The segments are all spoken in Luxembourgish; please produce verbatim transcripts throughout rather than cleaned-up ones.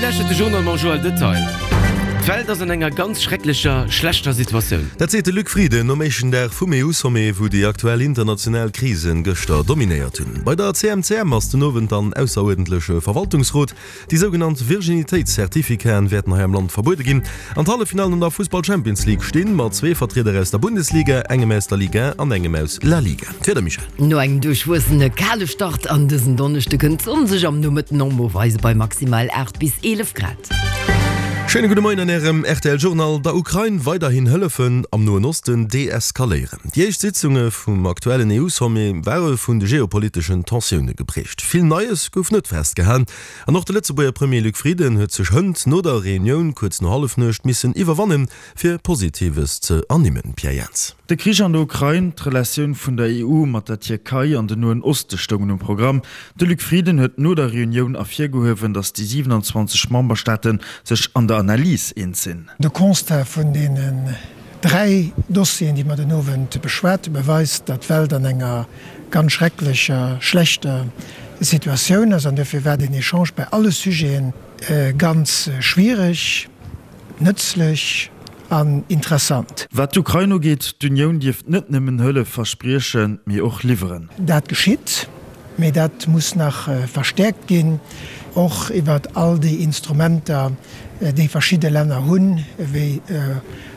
lauschtert de Journal mam Joël Detail. D'Welt ass an enger ganz schrecklecher, schlechter Situatioun. Dat seet de Luc Frieden nom éischten Dag vum E U-Sommet, wou déi aktuell international Krisen gëschter dominéiert hunn. Bei der C M C M ass den Owend dann ausseruerdentleche Verwaltungsrot. Déi sougenannt Virginitéitscertificaten wäerten hei am Land verbuede ginn. An d'Halleffinallen an der Fussball-Champions League stinn, mat zwee Vertrieder aus der Bundesliga, engem aus der Ligue un an engem aus La Liga. D'Wieder, Michèle. No engem duerchwuessene kale Start an dësen Donneschde kënnt d'Sonn sech am Nomëtten och mol weise bei maximal aacht bis eelef Grad. Schéine gudde Moien an Ärem R T L Journal. Der Ukrain weiderhin hëllefen, am Noen Osten deeskaléieren. Déi éischt Sitzunge vum aktuellen E U-Sommet ware vun de geopoliteschen Tensioune geprägt. Vill Neies gouf net festgehalen an och de Lëtzebuerger Premier Luc Frieden huet sech hënt no der Reunioun kuerz no Hallefnuecht missen iwwerwannen, fir Positives ze ernimmen. Pierre Jans. De Krich an der Ukrain, d'Relatioun vun der E U mat der Tierkei an den Noen Oste stoungen um Programm. De Luc Frieden huet no der Reunioun ervirgehuewen, datt déi siewenanzwanzeg Memberstaate sech an der Analys eens sinn. De Constat vun deenen dräi Dossieren, déi mer den Owend beschwat hunn, beweist, datt d'Welt an enger ganz schrecklecher, schlechter Situatioun ass. An dofir war den Echange bei alle Sujete ganz schwiereg, nëtzlech an interessant. Wat d'Ukrain ugeet, d'Unioun dierft net nëmmen Hëllef verspriechen, mee och liwweren. Dat geschitt, mee dat muss nach verstäerkt ginn, och iwwer all déi Instrumenter, déi verschidde Länner hunn, wéi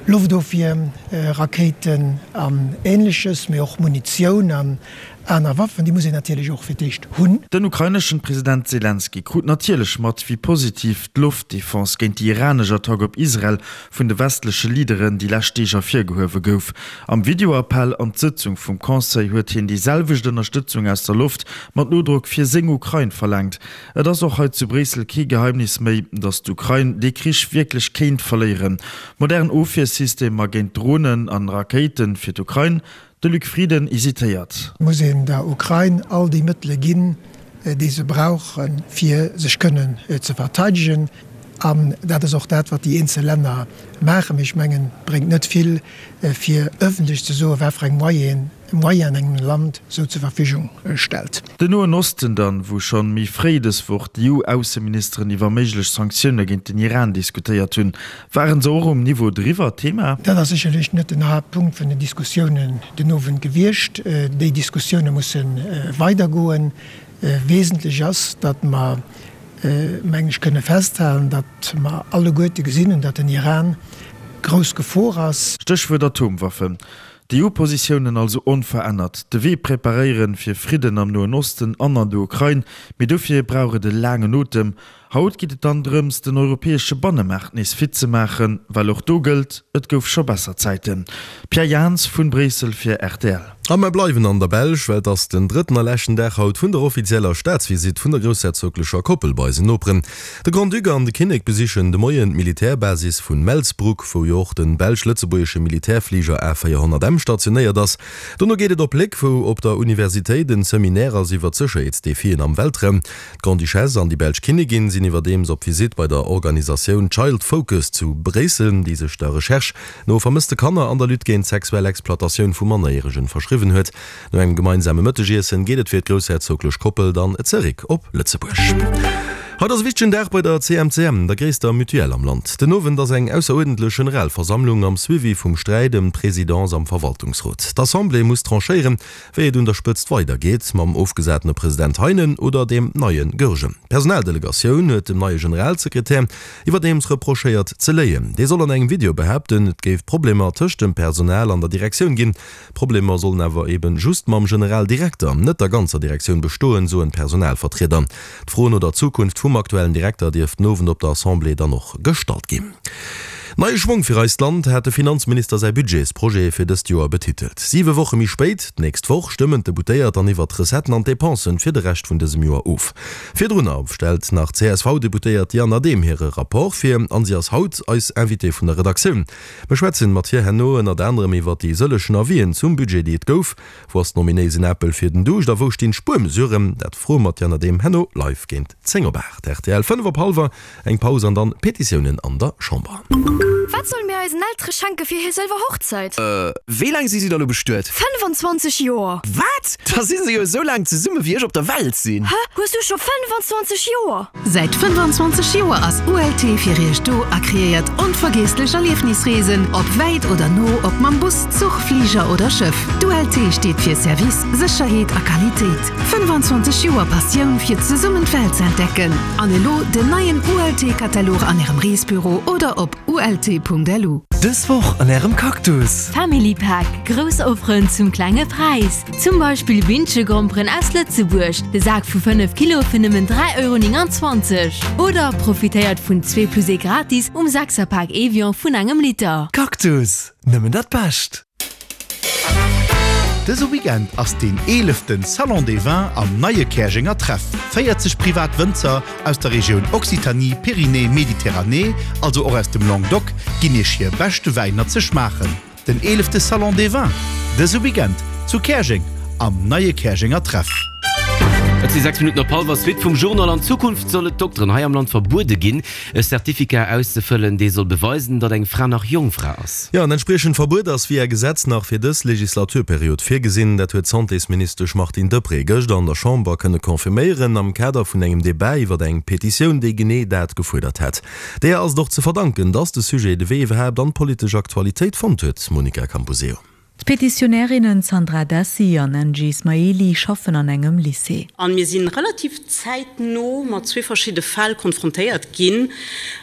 Loftofwierrakéiten an Ähnleches, mee och Munitioun an aner Waffen, déi muss een natierlech och fir d'éischt hunn. Den ukraineschen President Selenskyj krut natierlech mat, wéi positiv d'Loftdefense géint déi iranesch Attack op Israel vun de westleche Leaderen déi lescht Deeg ervirgehuewe gouf. Am Videoappell an d'Sëtzung vum Conseil huet hien déi selwecht Ënnerstëtzung aus der Loft mat Nodrock fir seng Ukrain verlaangt. Et ass och hei zu Bréissel kee Geheimnis méi, datt d'Ukrain dee Krich wierklech kéint verléieren. Modern Ofwiersystemer géint Dronen an Rakéite fir d'Ukrain? De Luc Frieden hesitéiert. Muss een der Ukrain all déi Mëttele ginn, déi se brauchen, fir sech kënnen ze verteidegen. An dat ass och dat, wat déi eenzel Länner maachen. Mee ech mengen, et bréngt net vill, fir ëffentlech ze soen, wat fir eng Moyenen Moyen engem Land sou zur Verfügung stellt. Den Noen Osten dann, wou schonn méi fréi dës Woch d'E U-Ausseministeren iwwer méiglech Sanktioune géint den Iran diskutéiert hunn. Waren se och um Niveau driwwer Thema? Dat ass sécherlech net den Haaptpunkt vun den Diskussiounen den Owend gewiescht. Déi Diskussioune musse weidergoen. Wesentlech ass, datt mer, mengen ech, kënne festhalen, datt mer alleguerte gesinn hunn, datt den Iran grouss Gefor ass. Stéchwuert Atomwaffen. D'E U-Positiounen also onverännert, de Wee preparéieren fir Fridden am Noen Osten an an der Ukrain, mee dofir brauch et e laangen Otem. Haut geet et dann drëms, den europäesche Bannemaart nees fit ze maachen, well och do gëllt, et gouf scho besser Zäiten. Pierre Jans vun Bréissel fir R T L. A mer bleiwen an der Belsch, well et ass den drëtten a leschten Dag haut vun der offizieller Staatsvisitt vun der groussherzoglecher Koppel bei eisen Noperen. De Grand-Duc an de Kinnek besichen de Moien d'Militärbasis vun Melsbroek, wou jo och de belsch-lëtzebuergesche Militärfliger A véierhonnert M stationéiert ass. Dono geet et op Léck, wou op der Universitéit en Seminaire ass iwwer d'Sécherheetsdefien am Weltraum. D'Grande-Duchesse an déi belsch Kinnigin sinn iwwerdeems op Visitt bei der Organisatioun Child Focus zu Bréissel, déi sech der Recherche no vermësste Kanner an der Lutte géint sexuell Exploitatioun vu Mannerjäregen verschriwwen huet. No engem gemeinsame Mëttegiessen geet et fir d'groussherzoglech Koppel dann zeréck op Lëtzebuerg. Haut ass e wichtegen Dag bei der C M C M, der gréisster Mutuelle am Land. Den Owend ass eng ausseruerdentlech Generalversammlung am Suivi vum Sträit ëm d'Presidence am Verwaltungsrot. D'Assemblée muss tranchéieren, wéi et un der Spëtzt weidergeet, mam ofgesatene President Heinen oder dem neie Goergen. D'Personaldelegatioun huet dem neie Generalsekretär iwwerdeems reprochéiert ze léien. Dee soll an engem Video behaapten, et géif Problemer tëscht dem Personal an der Direktioun ginn. D'Problemer sollen awer eben just mam Generaldirekter, net der ganzer Direktioun bestoen, soen d'Personalvertrieder. D'Fro no der Zukunft vum aktuellen Direkter dierft den Owend op der Assemblée dann och gestallt ginn. Neie Schwong fir eist Land hat de Finanzminister säi Budgetsprojet fir dëst Joer betitelt. Siwe Woche méi spéit, d'nächst Woch, stëmmen d'Deputéiert dann iwwer d'Recetten an d'Depensen fir de Rescht vun dësem Joer of. Virdrunner stellt nach d'C S V-Deputéiert Diane Adehm hire Rapport vir an si ass haut eis Invitée vun der Redaktioun. Mir schwätzen mat hir herno ënnert anerem iwwer déi sëllechen Avisen zum Budget, déi et gouf. Wou ass den ominéisen Apel fir den Duuscht a wou stinn d'Spuermesuren? Dat froe mer d'Diane Adehm herno live géint zéng op aacht. R T L, fënnef op hallwer, eng Paus an dann Petitiounen an der Chamber. Wat solle mir eisen Eltere schenke fir hir sëlwer Hochzäit? Äh, wéi laang si si da lo bestuet? Fënnefanzwanzeg Joer! Wat? Da si se jo esou laang zesumme wéi ech op der Welt sinn! Hä? Hues du scho fënnefanzwanzeg Joer? Säit fënnefanzwanzeg Joer ass U L T fir iech do a kreéiert onvergiesslech Erliefnisreesen, ob wäit oder no, ob mam Bus, Zuch, Fliger oder Schëff. D'U L T steet fir Service, Sécherheet a Qualitéit. Fënnefanzwanzeg Joer Passioun fir zesummen d'Welt ze entdecken. An elo den neien U L T-Katalog an ärem Reesbüro oder op U L T Punkt L U. Dës Woch an ärem Cactus. Family Pack, Grouss Offeren zum klenge Präis. Zum Beispill Bündchegromperen aus Lëtzebuerg, de Sak vu fënnef Kilo fir nëmmen dräi Euro nénganzwanzeg. Oder profitéiert vun zwee plus ee gratis um Sechserpak Evian vun engem Liter. Cactus, nëmmen dat Bescht. Dëse Weekend ass den eeleften Salon des Vins am neie Käerjenger Treff. véierzeg privat Wënzer aus der Regioun Occitanie, Pyrénées, Méditerranée, also och aus dem Languedoc, ginn iech hir beschte Wäiner ze schmaachen. Den eelefte Salon des Vins, dëse Weekend zu Käerjeng am neie Käerjenger Treff. Et si sechs Minutten op hallwer. Suite vum Journal. An Zukunft soll et Dokteren hei am Land verbuede ginn, e Certificat auszefëllen, dee soll beweisen, datt eng Fra nach Jongfra ass. Jo, en entspriechend Verbuet ass via Gesetz nach fir dës Legislaturperiod virgesinn. Dat huet d'Santésministesch Martine Deprez gëschter an der Chamber kënne confirméieren, am Kader vun engem Debat iwwer eng Petitioun, déi genee dat gefuerdert hat. Deeër ass et och ze verdanken, datt de Sujet de Wee iwwerhaapt an d'politesch Aktualitéit fonnt huet, Monica Camposeo. D'Petitionärinnen Sandra Dessi an Angie Ismaili schaffen an engem Lycée. An mir sinn relativ zäitno mat zwee verschiddene Fäll konfrontéiert ginn,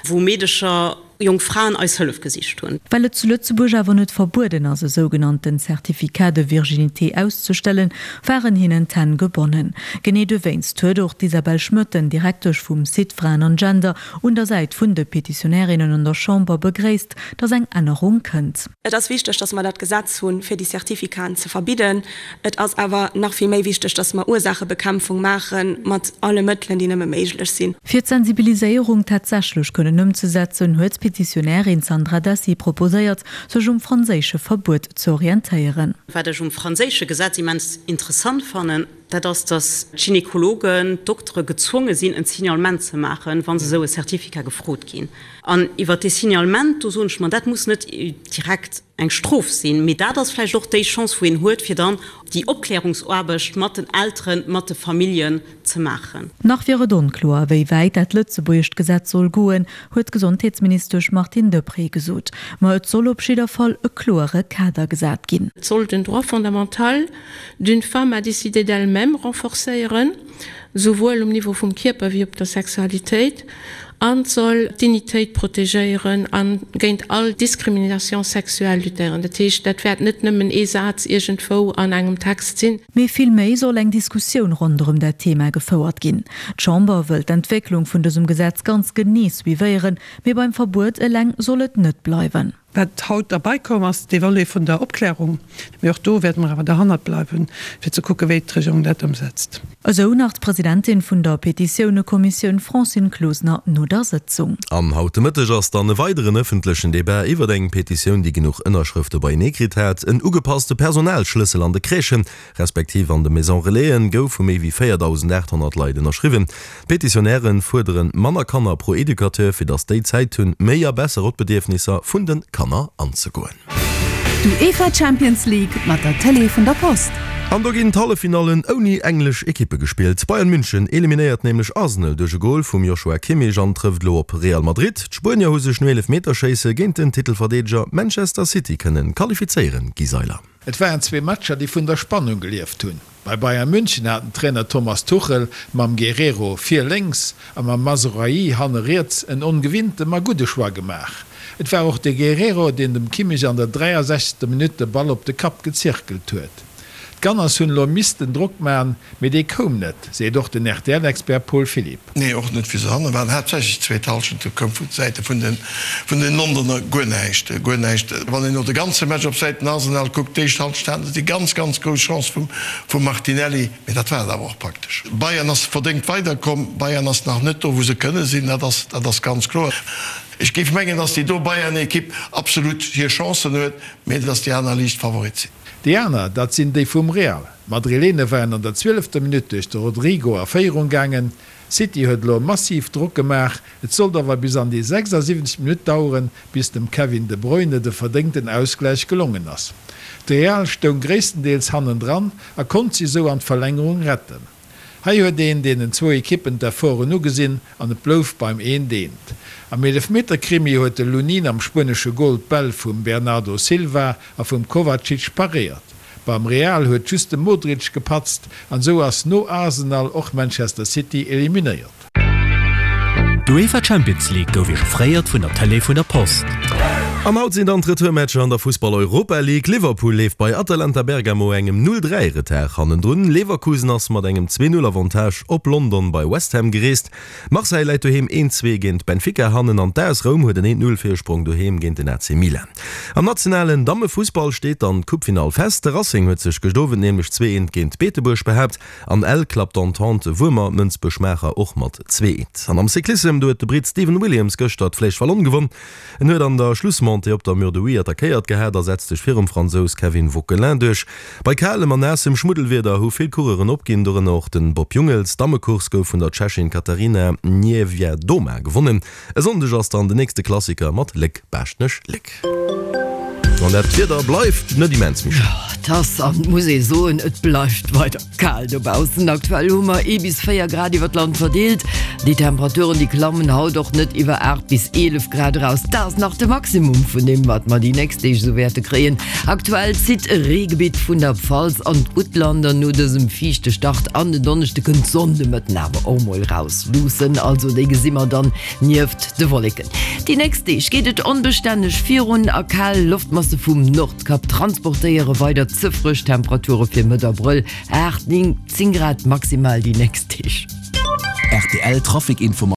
wou Meedecher, jonk Fraen eis Hëllef gesicht hunn. Well et zu Lëtzebuerg awer net verbueden ass, e sougenannten Certificat de virginité auszestellen, waren hinnen d'Hänn gebonnen. Genee dowéinst huet och d'Isabelle Schmoetten, Direktesch vum Site Fraen an Gender, un der Säit vun de Petitionärinnen an der Chamber begréisst, datt eng Ännerung kënnt. Et ass wichteg, datt mer dat Gesetz hunn, fir déi Certificaten ze verbidden. Et ass awer nach vill méi wichteg, datt mer Ursaachebekämpfung maache mat alle Mëttelen, déi nëmme méiglech sinn. Fir d'Sensibiliséierung tatsächlech kënnen ëmzesetzen, huet d'Petitionärin Sandra Dessi proposéiert, sech um franséische Verbuet ze orientéieren. Wat ech um franséische Gesetz immens interessant fannen, dat ass, datt d'Gynekologen, d'Doktere gezwonge sinn, en Signalement ze maachen, wa se esou e Certificat gefrot ginn. An iwwer dee Signalement, do soen ech mer, dat muss net direkt eng Strof sinn, mee dat ass vläicht och déi Chance, wou een huet, fir dann déi Opklärungsaarbecht mat den Elteren, mat de Familljen ze maachen. Nach wier et onkloer, wéi wäit dat lëtzebuergescht Gesetz soll goen, huet d'Gesondheetsministesch Martine Deprez gesot. Ma et soll op jidder Fall e kloere Kader gesat ginn. Et soll den Droit fondamental d'une femme à décider d'elle-même renforcéieren, souwuel um Niveau vum Kierper wéi op der Sexualitéit, an soll d'Dignitéit protegéieren a géint all Discrimination sexuelle luttéieren. Dat heescht, dat wäert net nëmmen ee Saz iergendwou an engem Text sinn. Mee vill méi soll eng Diskussioun ronderëm dat Thema gefouert ginn. D'Chamber wëll d'Entwécklung vun dësem Gesetz ganz genee suivéieren, mee beim Verbuet eleng soll et net bleiwen. Wat haut derbäi komm ass, dee Volet vun der Opklärung, mee och do wäerte mer awer derhannert bleiwen, fir ze kucken, wéi d'Regierung dat ëmsetzt. Esou nach d'Presidentin vun der Petitiounekommissioun Francine Closener no der Sëtzung. An haut de Mëtteg ass dann e weideren ëffentlechen Debat iwwer eng Petitioun, déi genuch Ënnerschrëfte beienee kritt hat. En ugepasste Personalschlëssel an de Crèchen, respektiv an de Maison Relaisen, gouf vu méi wéi véierdausendaathonnert Leit ënnerschriwwen. D'Petitionäre fuerderen manner Kanner pro Educateur, fir datt déi Zäit hunn, méi a besser op d'Bedierfnisser vun de Kanner anzegoen. D'UEFA Champions League mat der Télé vun der Post. An do ginn d'Halleffinallen ouni englesch Ekippe gespillt. Bayern München eliminéiert nämlech Arsenal duerch e Gol vum Joshua Kimmich an trëfft elo op Real Madrid. D'Spuenier hu sech no Eelefmeterschéisse géint den Titelverdeedeger Manchester City kënnen qualifizéieren, Guy Seiler. Et waren zwee Matcher, déi vun der Spannung gelieft hunn. Bei Bayern München hat den Trainer Thomas Tuchel mam Guerreiro vir lénks a mam Mazraoui hanne riets en ongewinnte ma gudde Choix gemaach. Et war och de Guerreiro, deen dem Kimmich an der dräiasechzegster Minutt de Ball op de Kapp gezirkelt huet. D'Gunners hunn elo missten Drock maachen, mee dee koum net, seet och den R T L-Expert Paul Philipp. Nee, och net wéi se hanne waren. Haaptsächlech d'zweet Hallschent, do koum vun Säite vun den vun den Londoner guer näischt, guer näischt. Wann een elo de ganze Match op Säiten Arsenal kuckt, d'éischt Hallschent haten se déi ganz, ganz grouss Chance vum vum Martinelli, mee dat war et awer och praktesch. Bayern ass verdéngt weiderkomm, Bayern ass nach net do wou se kënne sinn, dat ass dat ass ganz kloer. Ech géif mengen, datt déi do Bayern-Ekipp absolut hir Chancen huet, mee datt déi aner liicht Favorit sinn. Déi aner, dat sinn déi vum Real. D'Madrilene waren an der zwielefter Minutt duerch de Rodrygo a Féierung gaangen. City huet elo massiv Drock gemaach, et sollt awer bis an déi sechsasiwwenzeg Minutt daueren, bis dem Kevin De Bruyne de verdéngten Ausgläich gelongen ass. De Real stoung gréisstendeels hannendran a konnt si sou an d'Verlängerung retten. Hei huet een deenen zwou Ekippen d'Efforten ugesinn an et blouf beim eent eent. Am Eelefmeterkrimi huet de Lunin am spuenesche Gol d'Bäll vum Bernardo Silva a vum Kovacic paréiert. Beim Real huet just de Modric gepatzt an esou ass no Arsenal och Manchester City eliminéiert. D'UEFA Champions League gouf Iech offréiert vun der Tëlee vun der Post. An haut sinn dann d'Retourmatcher an der Fussball-Europa League. Liverpool leeft bei Atalanta Bergamo engem Null dräi Retard hannendrun. Leverkusen ass mat engem zwee Null Avantage op London bei West Ham gereest. Marseille läit doheem een zwee géint Benfica hannen an d'AS Roum huet en een Null Virsprong doheem géint den A C Milan. Am nationalen Dammefussball steet dann d'Coupefinall fest. De Racing huet sech gëscht Owend nämlech zwee eent géint Beetebuerg behaapt an Ell klappt d'Entente Wuermer-Mënsbech-Maacher och mat zwee eent. An am Cyclissem, do huet de Britt Stephen Williams gëschter d'Flèche Wallonne gewonn. En huet an der Schlussmontée op der Mur de Huy attackéiert gehat a setzt sech virum Fransous Kevin Vauquelin duerch. Bei kalem an naassem Schmuddelwieder hu vill Coureuren opginn, dorënner och den Bob Jungels. D'Dammecourse gouf vun der Tschechin Katarina Niewiadoma gewonnen. E Sonndeg ass dann den nächste Klassiker mat Léck-Baaschtnech-Léck. An dat Wieder bleift net immens méi schéin. Et ass, an et muss ee soen, et bleift weider kal dobaussen. Aktuell hu mer ee bis véier Grad iwwer d'Land verdeelt. Déi Temperaturen, déi klammen haut och net iwwer aacht bis eelef Grad eraus. Dat ass nach de Maximum vun deem, wat mer déi nächst Deeg esou wäerte kréien. Aktuell zitt e Reegebitt vun der Pfalz an d'Guttland an no dësem fiichte Start an den Donneschde kënnt d'Sonn de Mëtten awer och mol raus luussen. Also déi gesi mer dann nieft de Wolleken. Déi nächst Deeg geet et onbestänneg virun a kal Loftmasse vum Nordkap transportéiere weider ze frësch Temperature fir Mëtt Abrëll, aacht, néng, zéng Grad maximal déi nächst Deeg. Rtl Trafic Informatiounen.